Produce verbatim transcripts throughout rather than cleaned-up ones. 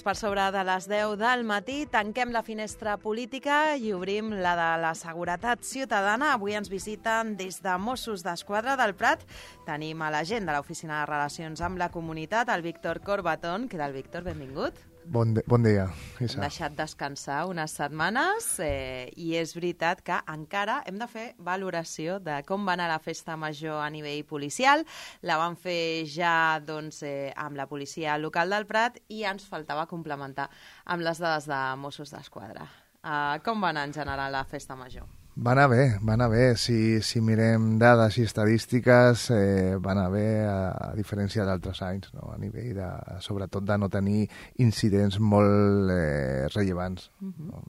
per sobre de les deu del matí. Tanquem la finestra política i obrim la de la seguretat ciutadana. Avui ens visiten des de Mossos d'Esquadra del Prat. Tenim a l'agent de l'Oficina de Relacions amb la Comunitat, el Víctor Corbatón. Què tal, Víctor? Benvingut. Bon, de, bon dia, Isa. Hem deixat descansar unes setmanes eh, i és veritat que encara hem de fer valoració de com va anar la festa major a nivell policial. La vam fer ja doncs, eh, amb la policia local del Prat i ens faltava complementar amb les dades de Mossos d'Esquadra. Uh, com va anar en general la festa major? Va anar bé, va anar bé. Si, si mirem dades i estadístiques, eh, va anar bé a, a diferència d'altres anys, no? A nivell de, sobretot de no tenir incidents molt eh, rellevants. Uh-huh. No?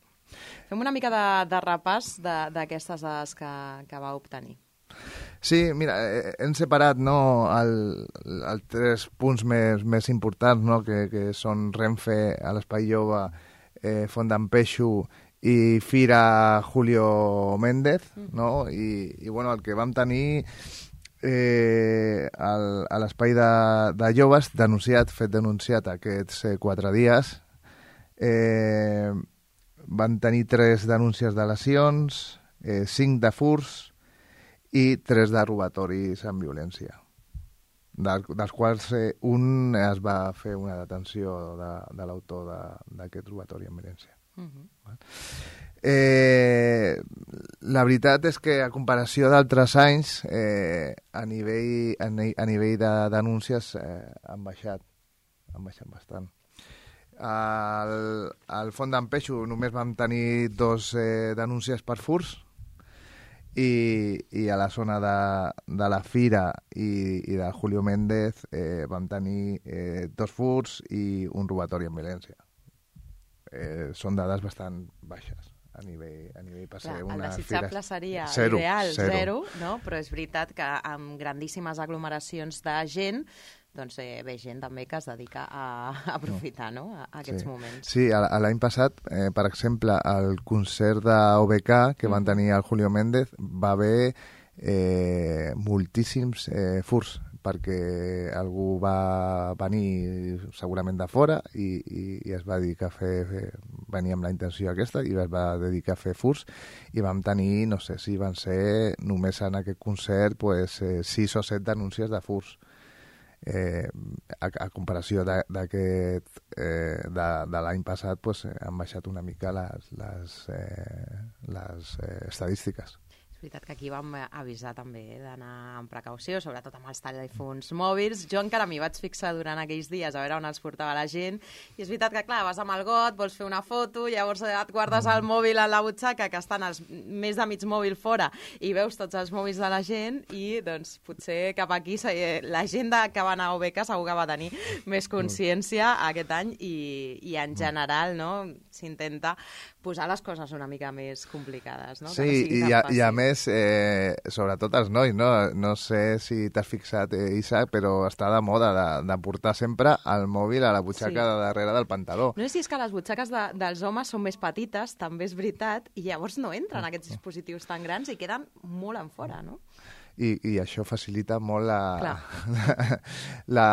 Fem una mica de, de repàs d'aquestes dades que, que va obtenir. Sí, mira, eh, hem separat no, el, el tres punts més, més importants, no? que, que són Renfe, a l'Espai Jove, eh, Font d'en Peixo i Fira Julio Méndez, no? I, i bueno, el que vam tenir eh, al, a l'espai de, de joves, denunciat, fet denunciat aquests eh, quatre dies, eh, van tenir tres denúncies de lesions, eh, cinc de furs i tres de robatoris amb violència, de, dels quals eh, un es va fer una detenció de, de l'autor d'aquest robatori amb violència. Uh-huh. Eh, la veritat és que a comparació d'altres anys eh, a nivell, a, a nivell de denúncies eh, han baixat han baixat bastant. Al, al Font d'en Peixo només vam tenir dos eh, denúncies per furs i, i a la zona de, de la Fira i, i de Julio Méndez eh, vam tenir eh, dos furs i un robatori amb violència. Eh, són dades bastant baixes a nivell, a nivell per ser una el desitjable fira... seria zero, ideal, zero. zero, no? Però és veritat que amb grandíssimes aglomeracions de gent doncs eh, ve gent també que es dedica a, a aprofitar no. No? a aquests sí. moments. Sí, l'any passat, eh, per exemple, al concert d'O B K que mm. van tenir el Julio Méndez va haver eh, moltíssims eh, furs, perquè algú va venir segurament de fora i, i, i es va dedicar a fer, fer... venia amb la intenció aquesta i es va dedicar a fer furs i vam tenir, no sé si van ser només en aquest concert pues, eh, sis o set denúncies de furs. Eh, a, a comparació d'aquest eh, de, de l'any passat pues, han baixat una mica les, les, eh, les eh, estadístiques. És veritat que aquí vam avisar també d'anar amb precaució, sobretot amb els telèfons mòbils. Jo encara m'hi vaig fixar durant aquells dies a veure on els portava la gent i és veritat que, clar, vas amb el got, vols fer una foto, llavors et guardes el mòbil a la butxaca, que estan els més de mig mòbil fora i veus tots els mòbils de la gent i, doncs, potser cap aquí la gent que va anar a O B K segur que va tenir més consciència aquest any i, i en general, no, s'intenta posar les coses una mica més complicades, no? Sí, no i, a, i a més, eh, sobretot els nois, no? No sé si t'has fixat, eh, Isaac, però està de moda de, de portar sempre el mòbil a la butxaca sí. de darrere del pantaló. No sé si és que les butxaques de, dels homes són més petites, també és veritat, i llavors no entren aquests dispositius tan grans i queden molt en fora, no? I, i això facilita molt la, la,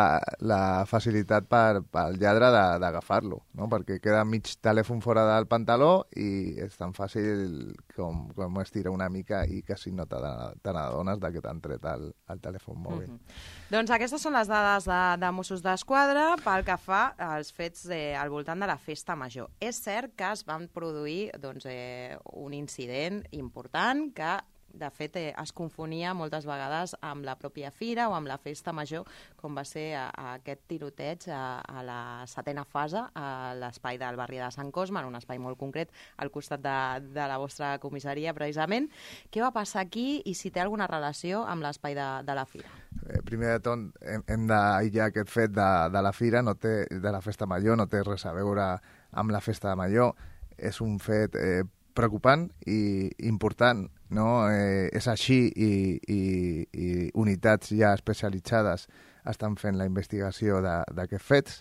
la facilitat per, pel lladre d'agafar-lo, no? Perquè queda mig telèfon fora del pantaló i és tan fàcil com, com estirar una mica i quasi no te n'adones que t'han tret el, el telèfon mòbil. Mm-hmm. Doncs aquestes són les dades de, de Mossos d'Esquadra pel que fa als fets eh, al voltant de la festa major. És cert que es van produir doncs, eh, un incident important que de fet, eh, es confonia moltes vegades amb la pròpia fira o amb la festa major, com va ser a, a aquest tiroteig a, a la setena fase, a l'espai del barri de Sant Cosme, en un espai molt concret, al costat de, de la vostra comissaria, precisament. Què va passar aquí i si té alguna relació amb l'espai de, de la fira? Eh, primer de tot, hem, hem d'aïllar aquest fet de, de la fira, no té, de la festa major, no té res a veure amb la festa major. És un fet eh, preocupant i important, no? Eh, és així i, i, i unitats ja especialitzades estan fent la investigació d'aquests fets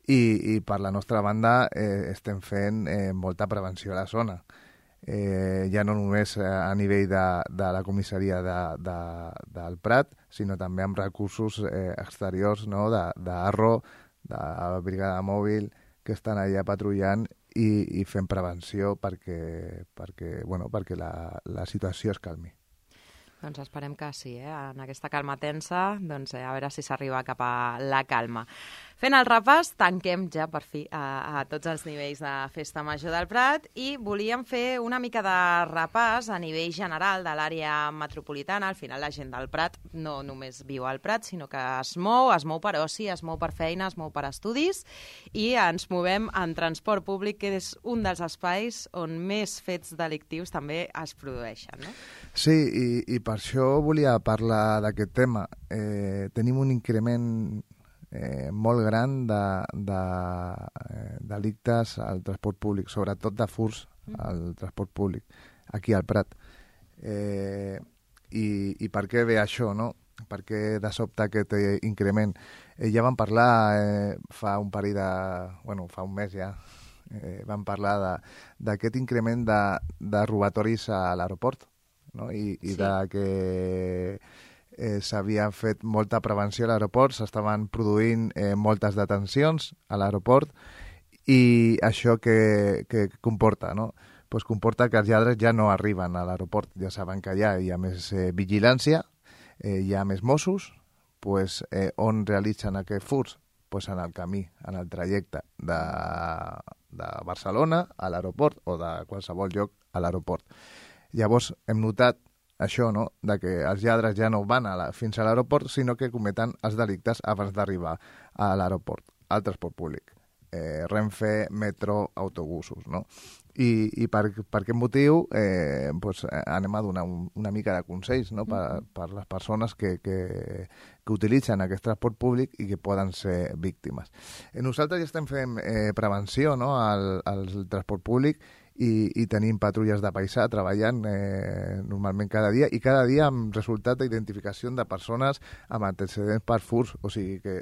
i, i per la nostra banda eh, estem fent eh, molta prevenció a la zona. Eh, ja no només a nivell de, de la comissaria de, de, del Prat, sinó també amb recursos eh, exteriors, no? de, de Arro, de la brigada mòbil, que estan allà patrullant i, i fent prevenció perquè, perquè, bueno, perquè la, la situació es calmi. Doncs esperem que sí, eh? En aquesta calma tensa, doncs eh, a veure si s'arriba cap a la calma. Fent el repàs, tanquem ja per fi a, a tots els nivells de Festa Major del Prat i volíem fer una mica de repàs a nivell general de l'àrea metropolitana. Al final la gent del Prat no només viu al Prat, sinó que es mou, es mou per oci, es mou per feina, es mou per estudis i ens movem en transport públic, que és un dels espais on més fets delictius també es produeixen, no? Sí, i, i per això volia parlar d'aquest tema. Eh, tenim un increment eh, molt gran de, de eh, delictes al transport públic, sobretot de furts al transport públic, aquí al Prat. Eh, i, I per què ve això, no? Per què de sobte aquest eh, increment? Eh, ja vam parlar eh, fa un parell de... bueno, fa un mes ja, eh, vam parlar d'aquest increment de, de robatoris a l'aeroport, no? I, i sí. de que eh, s'havia fet molta prevenció a l'aeroport, s'estaven produint eh, moltes detencions a l'aeroport i això que, que comporta, no? Pues comporta que els lladres ja no arriben a l'aeroport, ja saben que allà hi ha més eh, vigilància, eh, hi ha més Mossos, pues, eh, on realitzen aquests furts? Pues en el camí, en el trajecte de, de Barcelona a l'aeroport o de qualsevol lloc a l'aeroport. Llavors hem notat això, no?, de que els lladres ja no van a la, fins a l'aeroport, sinó que cometen els delictes abans d'arribar a l'aeroport, al transport públic. Eh, Renfe, metro, autobusos, no? I, i per, per aquest motiu eh, pues, anem a donar un, una mica de consells, no?, per, per les persones que, que, que utilitzen aquest transport públic i que poden ser víctimes. Eh, nosaltres ja estem fent eh, prevenció, no?, al, al transport públic i, i tenim patrulles de paisà treballant eh, normalment cada dia i cada dia amb resultat d'identificació de persones amb antecedents per furts. O sigui que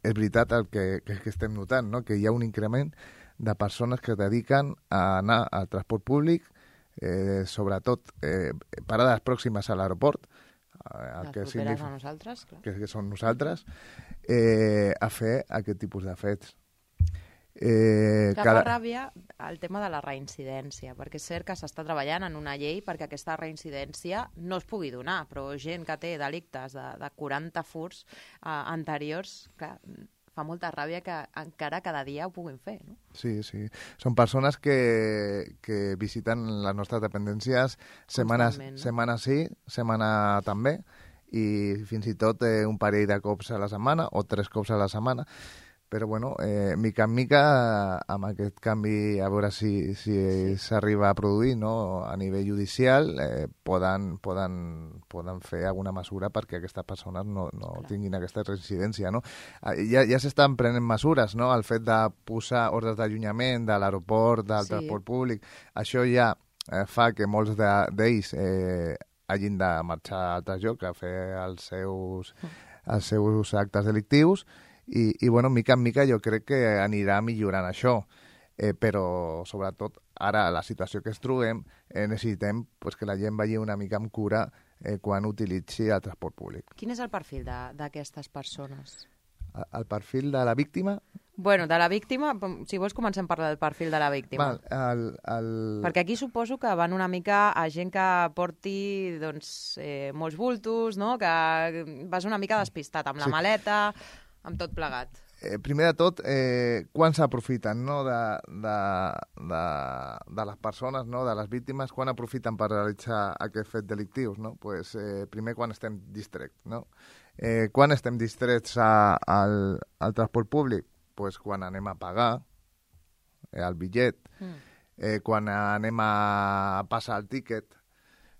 és veritat el que, que, que estem notant, no?, que hi ha un increment de persones que es dediquen a anar al transport públic, eh, sobretot eh, parades pròximes a l'aeroport, les que properes a nosaltres, clar. Que, que són nosaltres, eh, a fer aquest tipus de fets. Eh, que cada... fa ràbia el tema de la reincidència, perquè és cert que s'està treballant en una llei perquè aquesta reincidència no es pugui donar, però gent que té delictes de, de quaranta furts eh, anteriors, que fa molta ràbia que encara cada dia ho puguin fer, no? Sí, sí. Són persones que, que visiten les nostres dependències setmana, no? setmana sí, setmana també, i fins i tot eh, un parell de cops a la setmana o tres cops a la setmana. Però, bueno, eh, mica en mica, amb aquest canvi, a veure si s'arriba sí. a produir, no?, a nivell judicial, eh, poden, poden, poden fer alguna mesura perquè aquestes persones no, no tinguin aquesta residència, no? Ja, ja s'estan prenent mesures, no?, el fet de posar ordres d'allunyament de l'aeroport, del sí. transport públic. Això ja eh, fa que molts d'ells eh, hagin de marxar a altres llocs a fer els seus, els seus actes delictius. I, i bueno, mica en mica jo crec que anirà millorant això, eh, però sobretot ara, la situació que es trobem, eh, necessitem pues, que la gent vagi una mica amb cura eh, quan utilitzi el transport públic. Quin és el perfil d'aquestes persones? El, el perfil de la víctima? Bueno, de la víctima, si vols comencem a parlar del perfil de la víctima. Val, el, el... Perquè aquí suposo que van una mica a gent que porti doncs, eh, molts bultos, no?, que vas una mica despistat amb la sí. maleta, amb tot plegat. Eh, primer de tot, eh, quan s'aprofiten, no?, de, de, de, de les persones, no?, de les víctimes, quan aprofiten per realitzar aquest fet delictius, no? Pues, eh, primer quan estem distrets, no? Eh, quan estem distrets a, al, al transport públic? Pues quan anem a pagar eh, el bitllet, mm. eh, quan anem a passar el tíquet,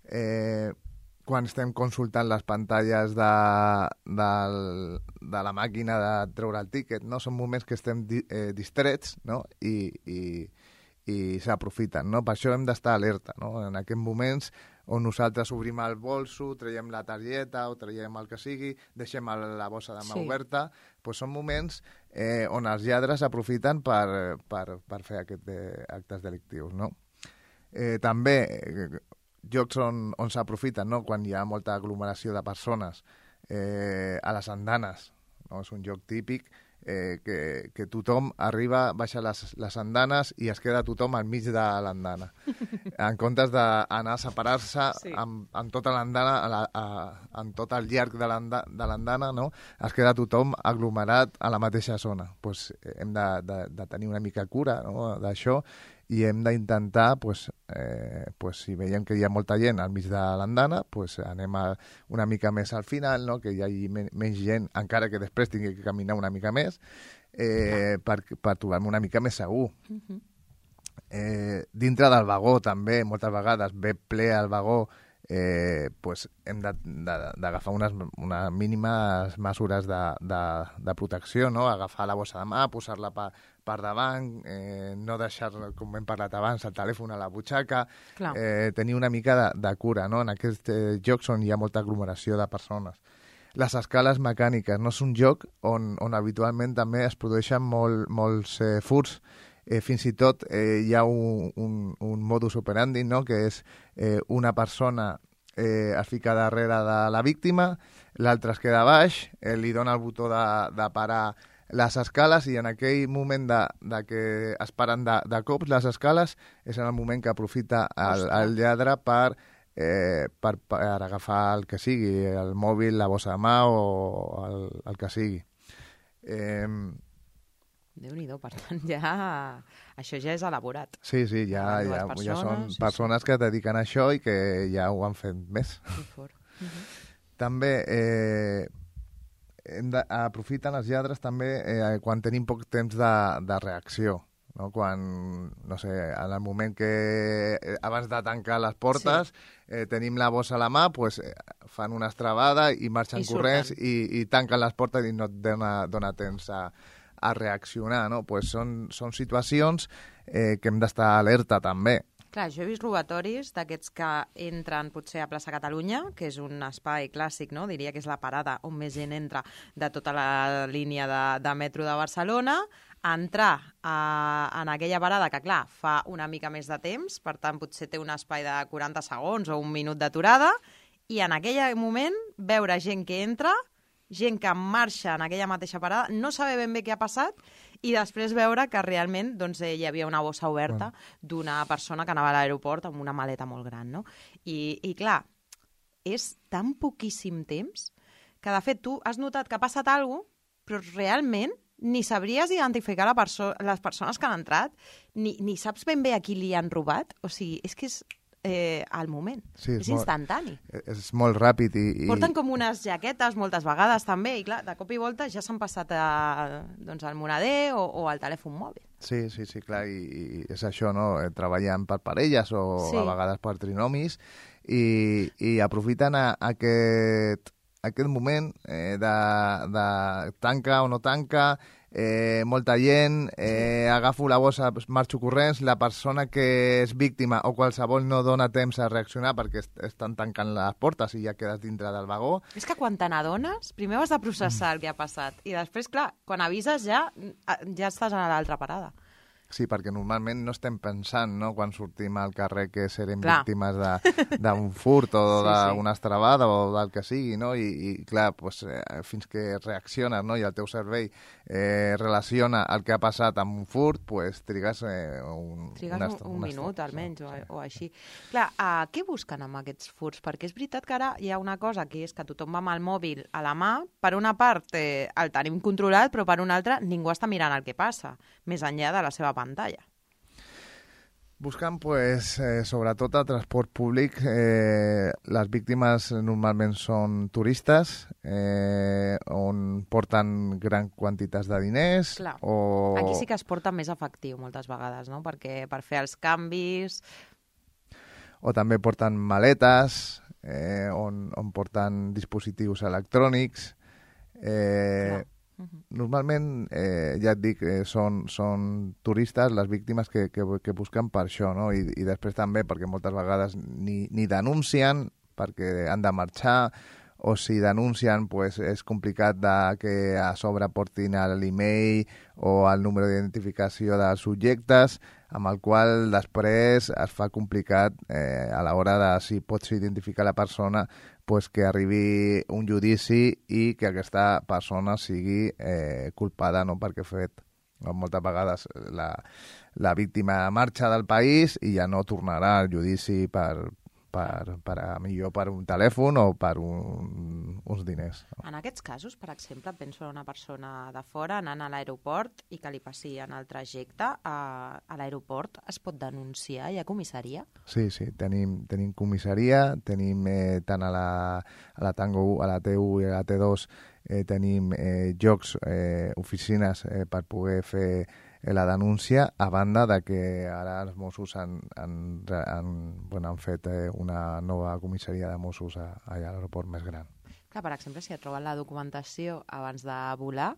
eh, quan estem consultant les pantalles de, de, de la màquina de treure el tíquet, no? Són moments que estem di, eh, distrets, no?, i, i, i s'aprofiten, no? Per això hem d'estar alerta, no? En aquests moments on nosaltres obrim el bolso, traiem la targeta o traiem el que sigui, deixem la bossa de mà sí. oberta, doncs són moments eh, on els lladres aprofiten per, per, per fer aquests de, actes delictius, no? Eh, també... Eh, llocs on, on s'aprofiten, no?, quan hi ha molta aglomeració de persones, eh, a les andanes, no? És un lloc típic eh, que, que tothom arriba, baixa les, les andanes i es queda tothom al mig de l'andana. En comptes d'anar a separar-se sí. amb, amb tota l'andana, a la, a, en tot el llarg de l'andana, no? Es queda tothom aglomerat a la mateixa zona. Pues, hem de, de, de tenir una mica cura, no? D'això, i hem d'intentar, pues, eh, pues, si veiem que hi ha molta gent al mig de l'andana, pues, anem a una mica més al final, no? Que hi hagi men menys gent, encara que després tingui que caminar una mica més, eh, per, per trobar-me una mica més segur. Uh-huh. eh, dintre del vagó, també, moltes vegades, ve ple al vagó, eh, pues, hem d'agafar unes, unes mínimes mesures de, de, de protecció, no? Agafar la bossa de mà, posar-la per, per davant, eh, no deixar, com hem parlat abans, el telèfon a la butxaca, eh, tenir una mica de, de cura, no? En aquests eh, jocs on hi ha molta aglomeració de persones. Les escales mecàniques, no és un joc on, on habitualment també es produeixen molt, molts eh, furts. Eh, fins i tot eh, hi ha un, un, un modus operandi, no? Que és eh, una persona eh, es fica darrere de la víctima, l'altre es queda baix, eh, li dona el botó de, de parar les escales i en aquell moment de, de que es paren de, de cops les escales és en el moment que aprofita el, el lladre per, eh, per, per agafar el que sigui, el mòbil, la bossa de mà o el, el que sigui. Eh, Déu-n'hi-do, per tant, ja... això ja és elaborat. Sí, sí, ja, ja, persones, ja són sí, persones sí. que es dediquen a això i que ja ho han fet més. Uh -huh. També eh, hem de, aprofiten els lladres també eh, quan tenim poc temps de, de reacció. No? Quan, no sé, en el moment que eh, abans de tancar les portes sí. eh, tenim la bossa a la mà, pues, eh, fan una estrabada i marxen I corrents i, i tanquen les portes i no et dona, dona temps a a reaccionar, no? Pues són, són situacions eh, que hem d'estar alerta també. Clar, jo he vist robatoris d'aquests que entren potser a plaça Catalunya, que és un espai clàssic, no? Diria que és la parada on més gent entra de tota la línia de, de metro de Barcelona, a entrar a, en aquella parada que, clar, fa una mica més de temps, per tant, potser té un espai de quaranta segons o un minut d'aturada, i en aquell moment veure gent que entra, gent que marxa en aquella mateixa parada, no saber ben bé què ha passat i després veure que realment doncs, hi havia una bossa oberta bueno. d'una persona que anava a l'aeroport amb una maleta molt gran. No? I, I clar, és tan poquíssim temps que de fet tu has notat que ha passat alguna cosa, però realment ni sabries identificar la perso les persones que han entrat, ni, ni saps ben bé a qui li han robat. O sigui, és que és... Eh, al moment. Sí, és, és molt, instantani. És molt ràpid. I, i... Porten com unes jaquetes moltes vegades també i clar, de cop i volta ja s'han passat a, doncs, al moneder o, o al telèfon mòbil. Sí, sí, sí, clar, i, i és això, no? Treballant per parelles o sí. a vegades per trinomis i, i aprofiten a, a aquest, aquest moment eh, de, de tanca o no tanca, Eh, molta gent, eh, agafo la bossa, marxo corrents, la persona que és víctima o qualsevol no dona temps a reaccionar perquè est estan tancant les portes i ja quedes dintre del vagó. És que quan te n'adones, primer has de processar el que ha passat i després, clar, quan avises ja, ja estàs a l'altra parada. Sí, perquè normalment no estem pensant, no?, quan sortim al carrer que serem clar. víctimes d'un furt o sí, d'una sí. estrabada o del que sigui, no? I, i clar, pues, eh, fins que reacciones, no?, i el teu cervell eh, relaciona el que ha passat amb un furt, pues, trigues eh, un... Trigues una, un, un una minut, almenys, o, o així. Clar, uh, què busquen amb aquests furts? Perquè és veritat que ara hi ha una cosa que és que tothom va amb el mòbil a la mà, per una part eh, el tenim controlat, però per una altra ningú està mirant el que passa, més enllà de la seva pantalla. Buscant, pues, eh, sobretot a transport públic, eh, les víctimes normalment són turistes, eh, on porten gran quantitats de diners. Clar. O... Aquí sí que es porta més efectiu moltes vegades, no? Perquè per fer els canvis... O també porten maletes, eh, on, on porten dispositius electrònics. Eh, Clar. Uh-huh. Normalment, eh, ja et dic, eh, són, són turistes les víctimes que, que, que busquen per això, no? I, i després també perquè moltes vegades ni, ni denuncien perquè han de marxar o si denuncien, pues, és complicat de que a sobre portin l'email o el número d'identificació dels subjectes, amb el qual després es fa complicat eh, a l'hora de si pots identificar la persona, pues, que arribi un judici i que aquesta persona sigui eh, culpada, no?, perquè ha fet. Moltes vegades la, la víctima marxa del país i ja no tornarà al judici per, per, per a millor per un telèfon o per un, uns diners. En aquests casos, per exemple, penso en una persona de fora anant a l'aeroport i que li passi en el trajecte, a, a l'aeroport es pot denunciar? Hi ha comissaria? Sí, sí, tenim, tenim comissaria, tenim eh, tant a la, a la Tango u, a la T u i a la T dos eh, tenim eh, llocs, eh, oficines eh, per poder fer la denúncia, a banda de que ara els Mossos han, han, han, bueno, han fet eh, una nova comissaria de Mossos a, allà a l'aeroport més gran. Clar, per exemple, si et troben la documentació abans de volar,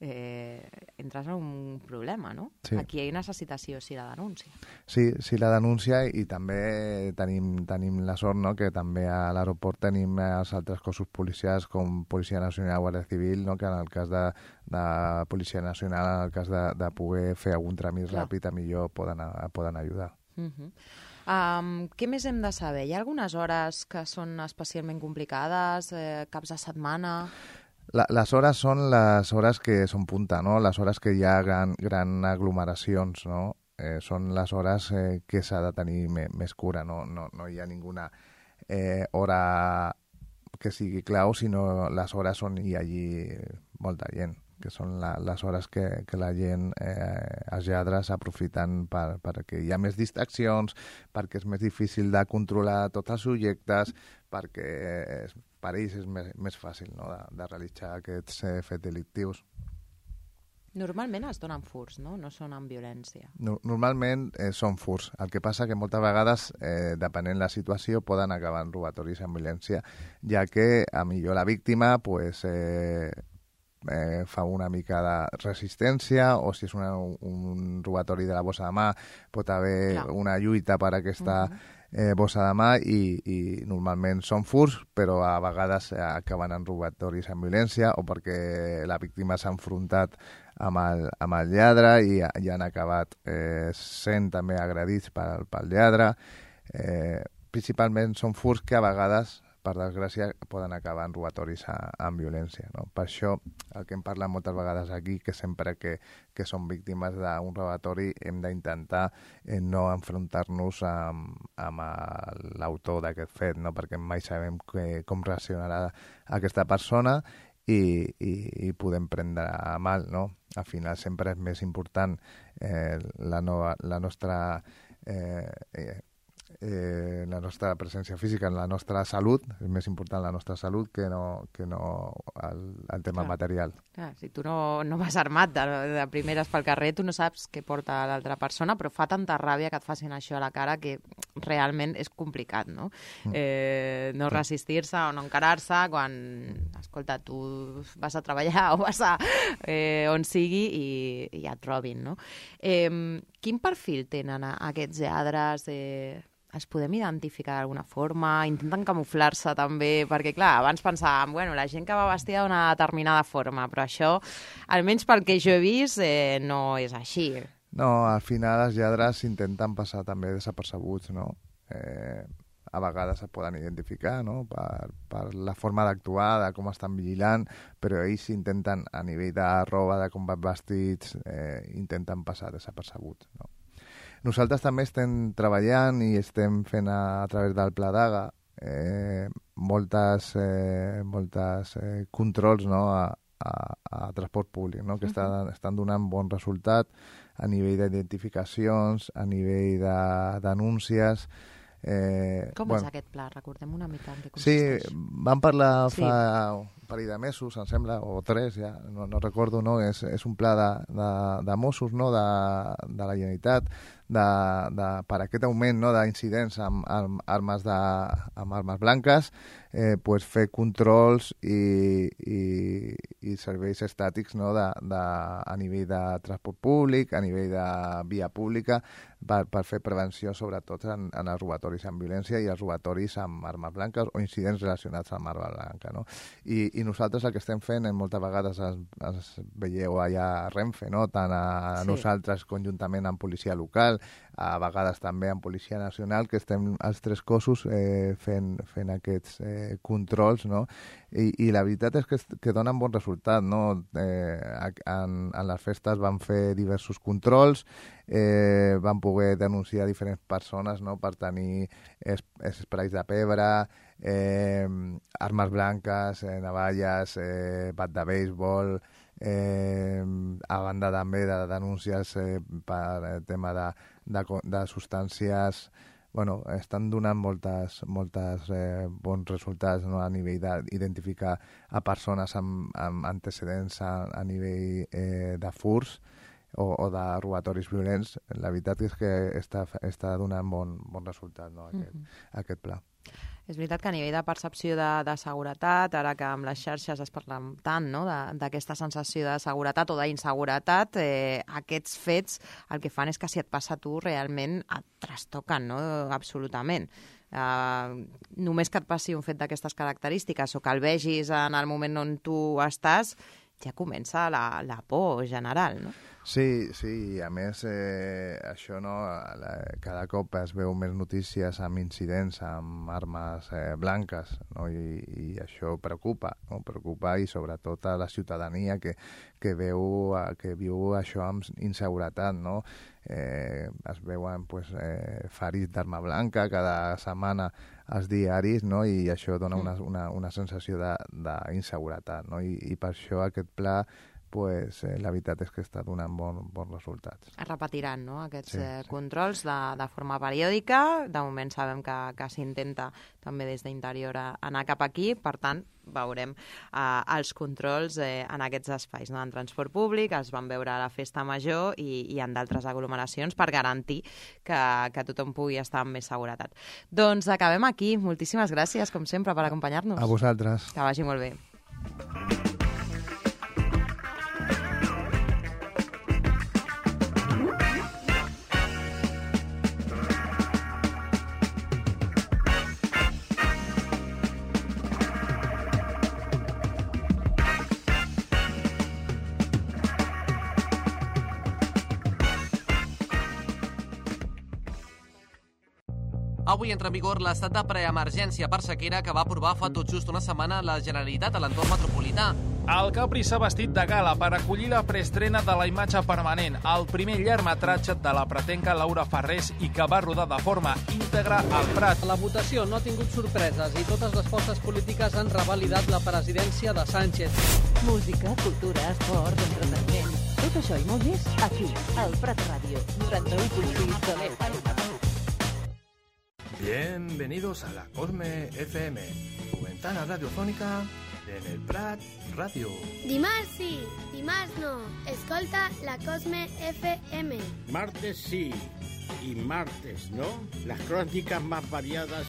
eh, entres en un problema, no? Sí. Aquí necessites sí o sí la denúncia. Sí, sí, la denúncia, i també tenim, tenim la sort, no?, que també a l'aeroport tenim els altres cossos policials com Policia Nacional, Guàrdia Civil, no?, que en el cas de, de Policia Nacional, en el cas de, de poder fer algun tràmit Clar. ràpid, a millor poden, poden ajudar. Uh -huh. Um, què més hem de saber? Hi ha algunes hores que són especialment complicades, eh, caps de setmana? La, les hores són les hores que són punta, no? Les hores que hi ha gran, gran aglomeracions, no? Eh, són les hores eh, que s'ha de tenir me, més cura, no? No, no hi ha ninguna eh, hora que sigui clau, sinó les hores on hi hagi molta gent, que són la, les hores que, que la gent, eh, els lladres, aprofiten per, perquè hi ha més distraccions, perquè és més difícil de controlar tots els subjectes, perquè eh, per ells és més, més fàcil, no?, de, de realitzar aquests eh, fets delictius. Normalment es donen furts, no? No són amb violència. No, normalment eh, són furts. El que passa que moltes vegades, eh, depenent la situació, poden acabar en robatoris amb violència, ja que a millor la víctima pues, eh, eh, fa una mica de resistència, o si és una, un robatori de la bossa de mà, pot haver Clar. una lluita per aquesta uh-huh. eh, bossa de mà, i, i normalment són furts, però a vegades acaben en robatoris amb violència, o perquè la víctima s'ha enfrontat amb el, amb el lladre i, i han acabat eh, sent també agredits pel, pel lladre. Eh, principalment són furts que a vegades, per desgràcia, poden acabar en robatoris a, amb violència, no? Per això, el que hem parlat moltes vegades aquí, que sempre que, que som víctimes d'un robatori hem d'intentar eh, no enfrontar-nos amb, amb l'autor d'aquest fet, no? Perquè mai sabem que, com reaccionarà aquesta persona i, i, i podem prendre a mal, no? Al final sempre és més important eh, la, nova, la nostra... Eh, eh, Eh, la nostra presència física, en la nostra salut, és més important la nostra salut que no, que no el, el tema Clar. material. Clar, si tu no, no vas armat de, de primeres pel carrer, tu no saps què porta l'altra persona, però fa tanta ràbia que et facin això a la cara que realment és complicat, no? Mm. Eh, no resistir-se o no encarar-se quan, escolta, tu vas a treballar o vas a eh, on sigui i, i ja et robin, no? Eh, quin perfil tenen aquests lladres? Eh, els podem identificar d'alguna forma? Intenten camuflar-se també? Perquè, clar, abans pensàvem, bueno, la gent que va vestida d'una determinada forma, però això, almenys pel que jo he vist, eh, no és així. No, al final els lladres intenten passar també desapercebuts, no? Eh, a vegades es poden identificar, no?, per, per la forma d'actuar, de com estan vigilant, però ells intenten, a nivell de roba, de com van vestits, eh, intenten passar desapercebuts, no? Nosaltres també estem treballant i estem fent a, a través del Pla Daga eh, moltes, eh, moltes eh, controls, no?, a, a, a transport públic, no?, que uh-huh. estan, estan donant bon resultat a nivell d'identificacions, a nivell de denúncies. Eh, Com bueno, és aquest pla? Recordem una mica en què consisteix. Sí, vam parlar sí. fa, parell de mesos, em sembla, o tres, ja, no, no recordo, no? És, és un pla de, de, de Mossos, no? de, de la Generalitat, de, de, per aquest augment, no? d'incidents amb, amb, armes de, amb armes blanques, eh, pues fer controls i, i, i serveis estàtics, no? de, de, a nivell de transport públic, a nivell de via pública, per, per fer prevenció sobretot en, en els robatoris amb violència i els robatoris amb armes blanques o incidents relacionats amb arma blanca. No? I, I nosaltres el que estem fent, en moltes vegades es, es veieu allà a Renfe, no? tant a sí. nosaltres conjuntament amb policia local, a vegades també amb Policia Nacional, que estem els tres cossos eh, fent, fent aquests eh, controls, no? I, i la veritat és que, que donen bon resultat, no? Eh, en, en les festes van fer diversos controls, eh, van poder denunciar diferents persones, no? per tenir es, esprais de pebre, eh, armes blanques, eh, navalles, eh, bat de béisbol, eh, a banda també de denúncies eh, per el tema de, de, de substàncies. Bueno, estan donant moltes, moltes eh, bons resultats, no? a nivell d'identificar a persones amb, amb antecedents a, a nivell eh, de furs o, o de robatoris violents. La veritat és que està, està donant bon, bon resultat, no? aquest, mm-hmm. aquest pla. És veritat que a nivell de percepció de, de seguretat, ara que amb les xarxes es parla tant no? d'aquesta sensació de seguretat o d'inseguretat, eh, aquests fets el que fan és que si et passa a tu realment et trastoquen, no? absolutament. Uh, només que et passi un fet d'aquestes característiques o que el vegis en el moment on tu estàs, ja comença la, la por general, no? Sí, sí, a més eh, això no, la, cada cop es veu més notícies amb incidents amb armes eh, blanques, no? I, i això preocupa, no? preocupa i sobretot a la ciutadania que, que veu que viu això amb inseguretat, no? Eh, es veuen pues, eh, ferits d'arma blanca cada setmana als diaris, no? I això dona una, una, una sensació d'inseguretat, no? I, i per això aquest pla pues, eh, la veritat és que està donant bon, bons resultats. Es repetiran, no?, aquests sí, eh, sí. controls de, de forma periòdica. De moment sabem que, que s'intenta també des d'interior anar cap aquí, per tant, veurem eh, els controls eh, en aquests espais, no?, en transport públic, els vam veure a la Festa Major i, i en d'altres aglomeracions per garantir que, que tothom pugui estar amb més seguretat. Doncs acabem aquí. Moltíssimes gràcies, com sempre, per acompanyar-nos. A vosaltres. Que vagi molt bé. Avui entra en vigor l'estat de preemergència per sequera que va aprovar fa tot just una setmana la Generalitat a l'entorn metropolità. El Capri s'ha vestit de gala per acollir la preestrena de La imatge permanent, el primer llargmetratge de la pretenca Laura Farrés i que va rodar de forma íntegra al Prat. La votació no ha tingut sorpreses i totes les forces polítiques han revalidat la presidència de Sánchez. Música, cultura, esport, entreteniment... Tot això i molt més aquí, al Prat Ràdio, noranta-u punt sis de l'E F M. Bienvenidos a la Cosme F M, tu ventana radiofónica en el Prat Radio. Dimarts sí, dimarts no. Escolta la Cosme F M. Martes sí y martes no. Las crónicas más variadas